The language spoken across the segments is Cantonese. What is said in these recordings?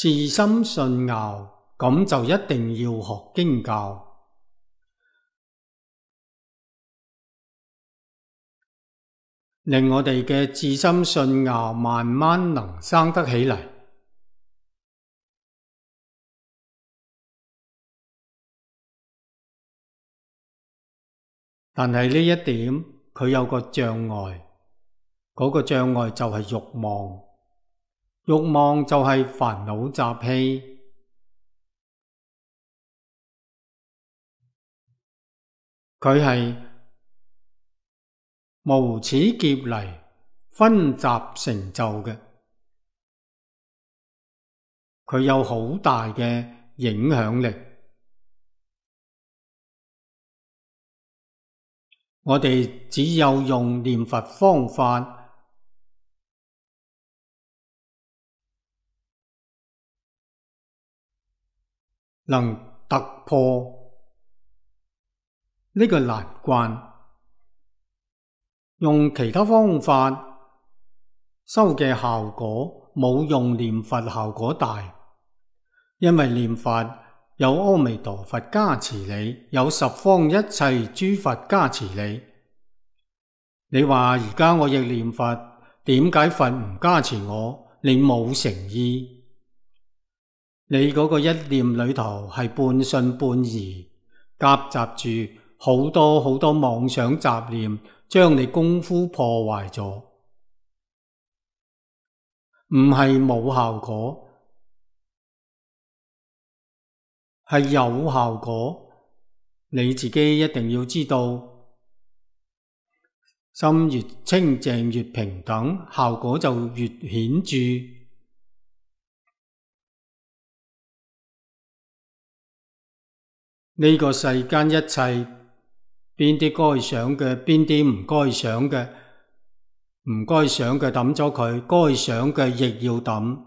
自心信拗，咁就一定要學經教，令我哋嘅自心信拗慢慢能生得起嚟。但係呢一點佢有個障礙，嗰個障礙就係慾望，慾望就係煩惱習氣，佢係無始劫嚟分集成就嘅，佢有好大嘅影響力。我哋只有用念佛方法，能突破呢個難關。用其他方法修嘅效果冇用念佛效果大，因為念佛有阿彌陀佛加持你，有十方一切諸佛加持你。你話而家我亦念佛，點解佛唔加持我？你冇誠意，你嗰個一念裏頭係半信半疑，夾雜住好多好多妄想雜念，將你功夫破壞咗。唔係冇效果，係有效果，你自己一定要知道，心越清淨越平等，效果就越顯著。呢個世間一切，邊啲該想嘅，邊啲唔該想嘅，唔該想嘅抌咗佢，該想嘅亦要抌。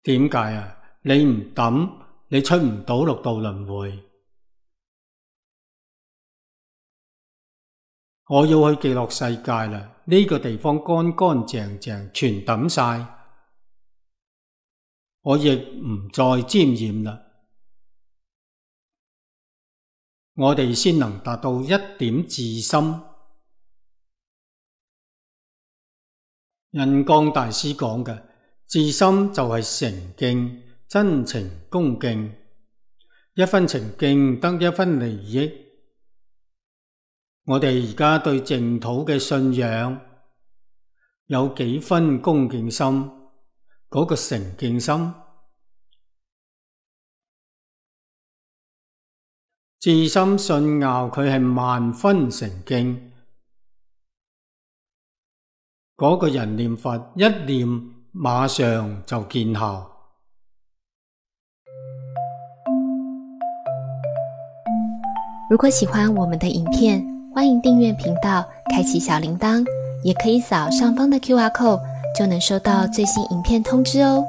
點解啊？你唔抌，你出唔到六道輪迴。我要去極樂世界啦，呢個地方乾乾淨淨，全抌晒，我亦唔再沾染啦。我哋先能達到一點自心。印光大師講嘅自心就係誠敬，真情恭敬，一分誠敬得一分利益。我哋而家對淨土嘅信仰有幾分恭敬心，嗰個誠敬心。自心信拗，佢係萬分誠敬。嗰個人念佛一念，馬上就見效。如果喜歡我們的影片，歡迎訂閱頻道，開啟小鈴鐺，也可以掃上方的QR code，就能收到最新影片通知哦。